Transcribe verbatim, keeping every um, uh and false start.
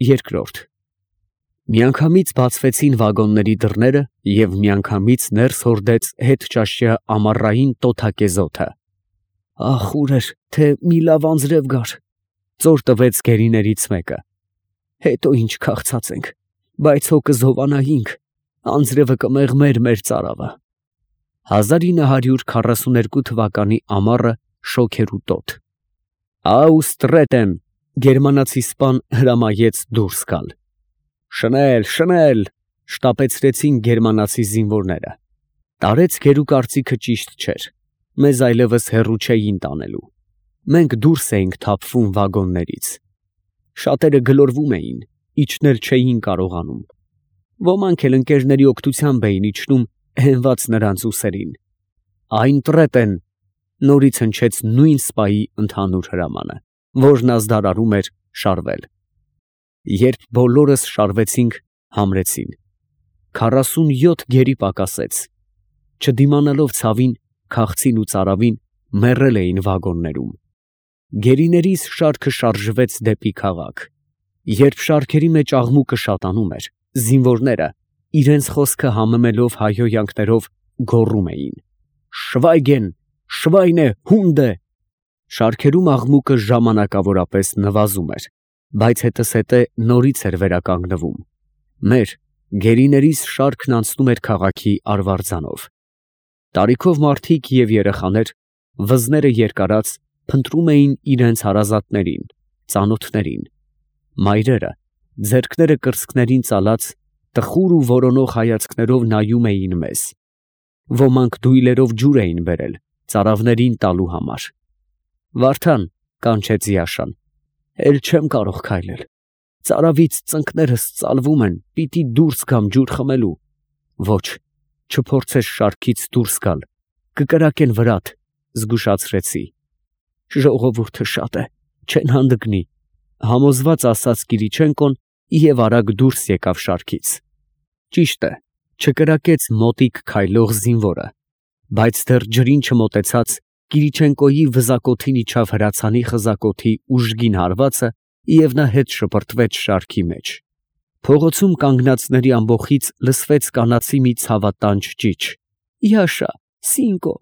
Երկրորդ Միանգամից բացվեցին վագոնների դռները և միանգամից ներս հորդեց հետճաշյա ամառային տոթակեզոթը։ «Ախ, ուր էր, թե մի լավ անձրև գար», ծոր տվեց գերիներից մեկը։ «Հետո ինչ քաղցած ենք, բայց հո կզովանայինք, անձրևը կմեղմեր մեր ծարավը»։ հազար ինը հարյուր քառասուներկու թվականի ամառը շոգերու տոտ։ «Աուստրետ եմ», գերմանացի սպան հրամայեց դուրս գալ։ «Շնել, շնել», շտապեցրեցին գերմանացի զինվորները։ Տարեց գերու կարծիքը ճիշտ չէր, մեզ այլևս հեռու չէին տանելու։ Մենք դուրս էինք թափվում վագոններից։ Շատերը գլորվում էին, իջնել չէին կարողանում։ Ոմանք էլ ընկերների օգնությամբ էին իջնում, հենված նրանց ուսերին։ «Այն տրետ են», նորից հնչեց նույն սպայի ընդհանուր հրամանը, որն ազդարարում էր շարվել։ Երբ բոլորս շարվեցինք, համրեցին։ Քառասունյոթ գերի պակասեց։ Չդիմանալով ցավին, քաղցին ու ծարավին, մեռել էին վագոններում։ Գերիներիս շարքը շարժվեց դեպի քաղաք։ Երբ շարքերի մեջ աղմուկը շատանում էր, զինվորները, իրենց խոսքը համեմելով հայհոյանքներով, գոռում էին. «Շվայգեն, շվայնե, հունդե»։ Շարքերում աղմուկը ժամանակավորապես նվազում էր, բայց հետզհետե նորից էր վերականգնվում։ Մեր գերիներիս շարքն անցնում էր քաղաքի արվարձանով։ Տարիքով մարդիկ և երեխաներ, վզները երկարած, փնտրում էին իրենց հարազատներին, ծանոթներին։ Մայրերը, ձեռքները կրծքներին ծալած, տխուր ու որոնող հայացքներով նայում էին մեզ։ Ոմանք դույլերով ջուր էին բերել ծարավներին տալու համար։ «Վարդան», կանչեց Յաշան, «էլ չեմ կարող քայլել, ծարավից ծնկներս ծալվում են, պիտի դուրս գամ ջուր խմելու»։ «Ոչ, չփորձես շարքից դուրս գալ, կկրակեն վրադ», զգուշացրեցի։ «Ժողովուրդը շատ է, չեն հանդգնի», համոզված ասաց Կիրիչենկոն և արագ դուրս եկավ շարքից։ Ճիշտ է, չկրակեց մոտիկ քայլող զինվորը, բայց դեռ ջրին չմոտեցած, Կիրիչենկոյի վզակոթին իջավ հրացանի խզակոթի ուժգին հարվածը և նա հետ շպրտվեց շարքի մեջ։ Փողոցում կանգնածների ամբոխից լսվեց կանացի մի ցավատանչ ճիչ. «Յաշա, Սինկո»։